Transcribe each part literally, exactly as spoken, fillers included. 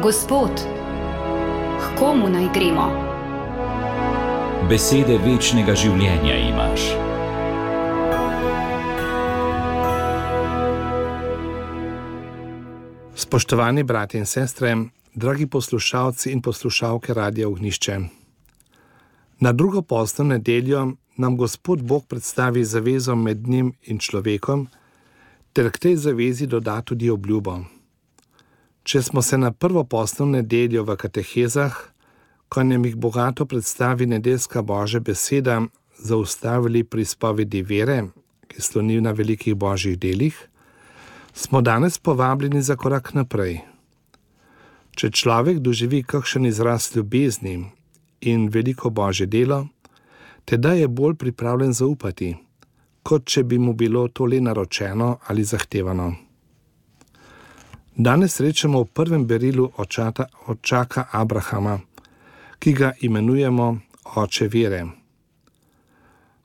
Gospod, k komu naj gremo? Besede večnega življenja imaš. Spoštovani bratje in sestre, dragi poslušalci in poslušalke Radia Ognjišče. Na drugo postno nedeljo nam Gospod Bog predstavi zavezo med njim in človekom, ter k tej zavezi doda tudi obljubo. Če smo se na prvo postno nedeljo v katehezah, ko nam jih bogato predstavi nedeljska Božja beseda, zaustavili pri izpovedi vere, ki sloni na velikih božjih delih, smo danes povabljeni za korak naprej. Če človek doživi kakšen izraz ljubezni in veliko božje delo, teda je bolj pripravljen zaupati, kot če bi mu bilo to le naročeno ali zahtevano. Danes srečamo v prvem berilu očata, očaka Abrahama, ki ga imenujemo oče vere.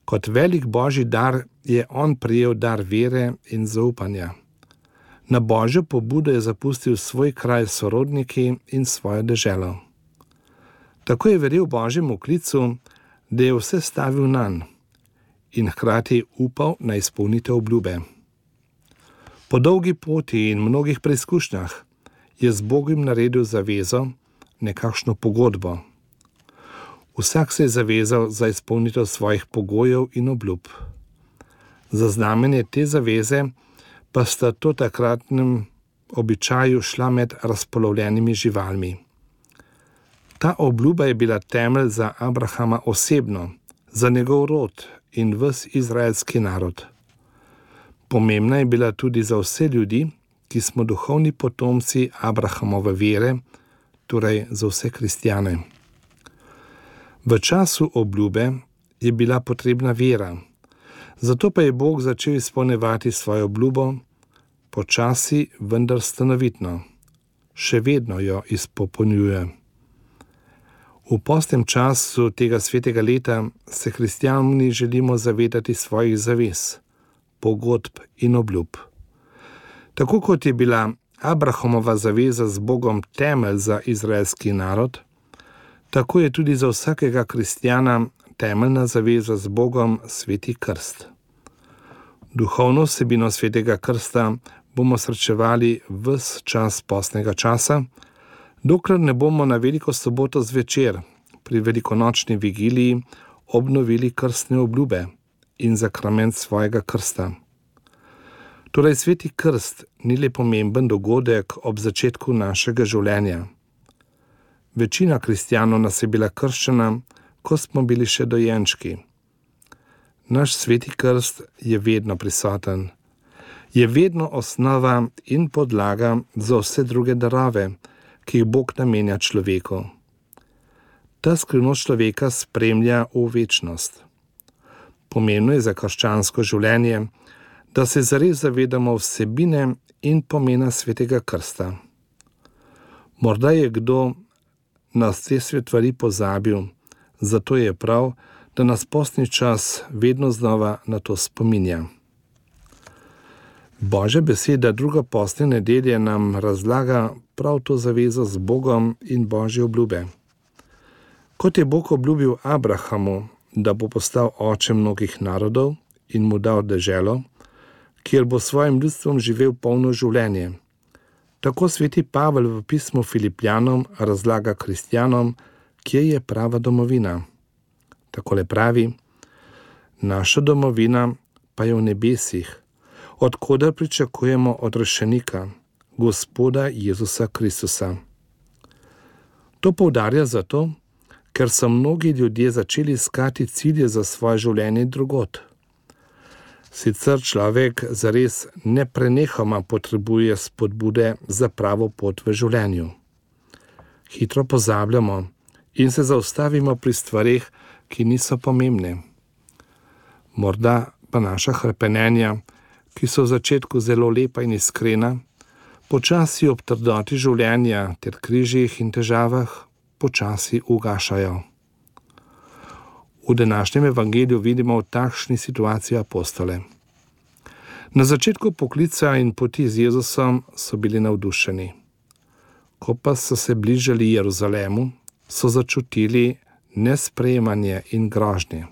Kot velik božji dar je on prijel dar vere in zaupanja. Na božjo pobudo je zapustil svoj kraj s sorodniki in svojo deželo. Tako je verjel božjemu klicu, da je vse stavil nanj in hkrati upal na izpolnitev obljube. Po dolgi poti in mnogih preizkušnjah je z Bogom naredil zavezo, nekakšno pogodbo. Vsak se je zavezal za izpolnitev svojih pogojev in obljub. Za znamenje te zaveze pa sta to takratnem običaju šla med razpolovljenimi živalmi. Ta obljuba je bila temelj za Abrahama osebno, za njegov rod in ves izraelski narod. Pomembna je bila tudi za vse ljudi, ki smo duhovni potomci Abrahamove vere, torej za vse kristjane. V času obljube je bila potrebna vera, zato pa je Bog začel izpolnjevati svojo obljubo, počasi, vendar stanovitno. Še vedno jo izpopolnjuje. V postnem času tega svetega leta se kristjani želimo zavedati svojih zavez, pogodb in obljub. Tako kot je bila Abrahamova zaveza z Bogom temelj za izraelski narod, tako je tudi za vsakega kristjana temeljna zaveza z Bogom sveti krst. Duhovno vsebino svetega krsta bomo srečevali ves čas postnega časa, dokler ne bomo na veliko soboto zvečer pri velikonočni vigiliji obnovili krstne obljube in zakrament svojega krsta. Torej, sveti krst ni le pomemben dogodek ob začetku našega življenja. Večina kristjanov nas je bila krščena, ko smo bili še dojenčki. Naš sveti krst je vedno prisoten. Je vedno osnova in podlaga za vse druge darove, ki jih Bog namenja človeku. Ta skrivnost človeka spremlja v večnost. Pomembno je za krščansko življenje, da se zares zavedamo vsebine in pomena svetega krsta. Morda je kdo nas te stvari pozabil, zato je prav, da nas postni čas vedno znova na to spominja. Božja beseda druga postne nedelje nam razlaga prav to zavezo z Bogom in Božje obljube. Kot je Bog obljubil Abrahamu, da bo postal oče mnogih narodov in mu dal deželo, kjer bo svojim ljudstvom živel polno življenje. Tako sveti Pavel v pismu Filipljanom razlaga kristjanom, kje je prava domovina. Takole pravi: naša domovina pa je v nebesih, od koder pričakujemo odrešenika, Gospoda Jezusa Kristusa. To poudarja zato, ker so mnogi ljudje začeli iskati cilje za svoje življenje drugod. Sicer človek zares neprenehoma potrebuje spodbude za pravo pot v življenju. Hitro pozabljamo in se zaustavimo pri stvareh, ki niso pomembne. Morda pa naša hrepenenja, ki so v začetku zelo lepa in iskrena, počasi ob trdoti življenja ter križih in težavah počasi ugašajo. V današnjem evangeliju vidimo v takšni situaciji apostole. Na začetku poklica in poti z Jezusom so bili navdušeni. Ko pa so se bližali Jeruzalemu, so začutili nesprejemanje in grožnje.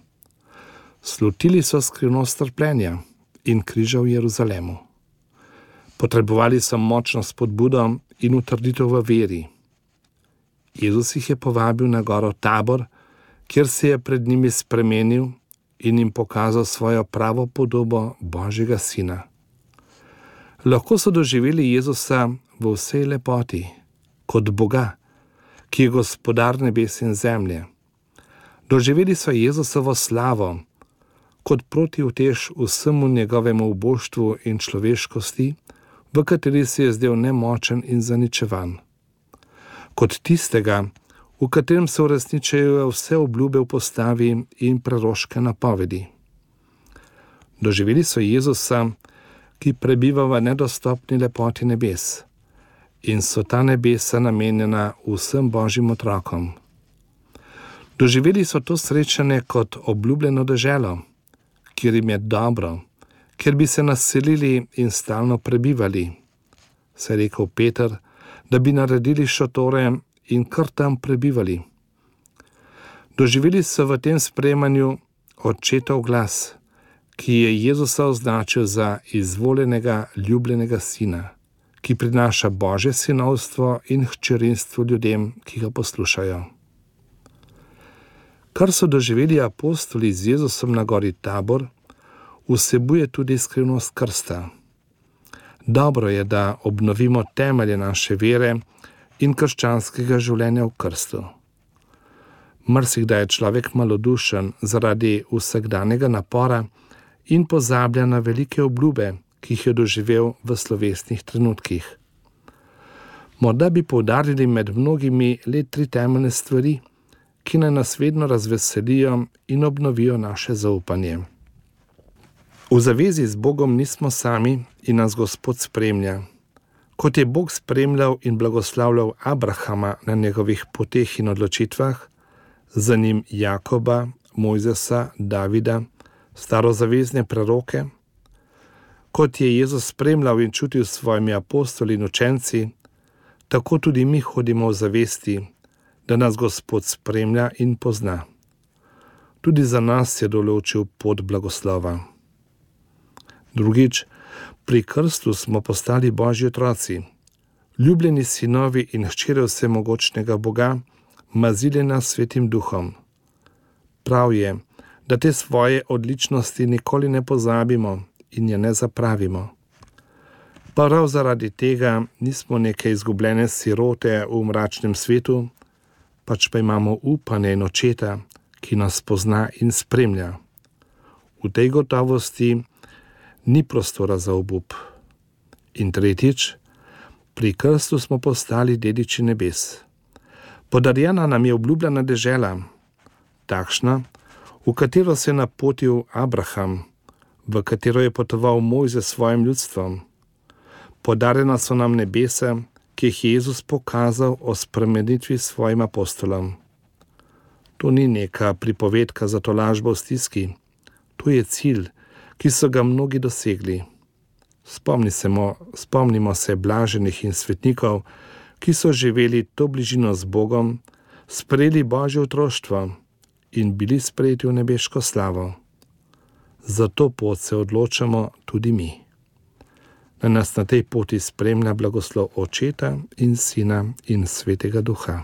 Slutili so skrivnost trpljenja in križa v Jeruzalemu. Potrebovali so močno spodbudo in utrditev v veri. Jezus jih je povabil na goro Tabor, kjer se je pred njimi spremenil in jim pokazal svojo pravo podobo Božjega Sina. Lahko so doživeli Jezusa v vsej lepoti, kot Boga, ki je gospodar nebes in zemlje. Doživeli so Jezusovo slavo, kot protiutež vsemu njegovemu uboštvu in človeškosti, v kateri se je zdel nemočen in zaničevan. Kot tistega, v katerem se uresničujejo vse obljube v postavi in preroške napovedi. Doživeli so Jezusa, ki prebiva v nedostopni lepoti nebes, in so ta nebesa namenjena vsem Božjim otrokom. Doživeli so to srečanje kot obljubljeno deželo, kjer jim je dobro, kjer bi se naselili in stalno prebivali, se je rekel Peter, da bi naredili šotore in kar tam prebivali. Doživeli so v tem sprejemanju očetov glas, ki je Jezusa označil za izvoljenega, ljubljenega sina, ki prinaša Božje sinovstvo in hčerinstvo ljudem, ki ga poslušajo. Kar so doživeli apostoli z Jezusom na gori Tabor, vsebuje tudi skrivnost krsta. Dobro je, da obnovimo temelje naše vere in krščanskega življenja v krstu. Marsikdaj je človek malodušen zaradi vsakdanjega napora in pozablja na velike obljube, ki jih je doživel v slovesnih trenutkih. Morda bi poudarili med mnogimi le tri temeljne stvari, ki naj nas vedno razveselijo in obnovijo naše zaupanje. V zavezi z Bogom nismo sami in nas Gospod spremlja. Kot je Bog spremljal in blagoslavljal Abrahama na njegovih poteh in odločitvah, za njim Jakoba, Mojzesa, Davida, starozavezne preroke, kot je Jezus spremljal in čutil s svojimi apostoli in učenci, tako tudi mi hodimo v zavesti, da nas Gospod spremlja in pozna. Tudi za nas je določil pot blagoslova. Drugič, pri krstu smo postali Božji otroci, ljubljeni sinovi in hčere vsemogočnega Boga, mazili nas Svetim Duhom. Prav je, da te svoje odličnosti nikoli ne pozabimo in je ne zapravimo. Prav zaradi tega nismo neke izgubljene sirote v mračnem svetu, pač pa imamo upanje in očeta, ki nas pozna in spremlja. V tej gotovosti ni prostora za obup. In tretjič, pri krstu smo postali dediči nebes. Podarjena nam je obljubljena dežela, takšna, v katero se je napotil Abraham, v katero je potoval Mojzes s svojim ljudstvom. Podarjena so nam nebesa, ki jih je Jezus pokazal o spremenitvi svojim apostolom. To ni neka pripovedka za tolažbo v stiski, to je cilj, ki so ga mnogi dosegli. Spomnimo, spomnimo se blaženih in svetnikov, ki so živeli to bližino z Bogom, sprejeli Božje otroštvo in bili sprejeti v nebeško slavo. Za to pot se odločamo tudi mi. Da nas na tej poti spremlja blagoslov Očeta in Sina in Svetega Duha.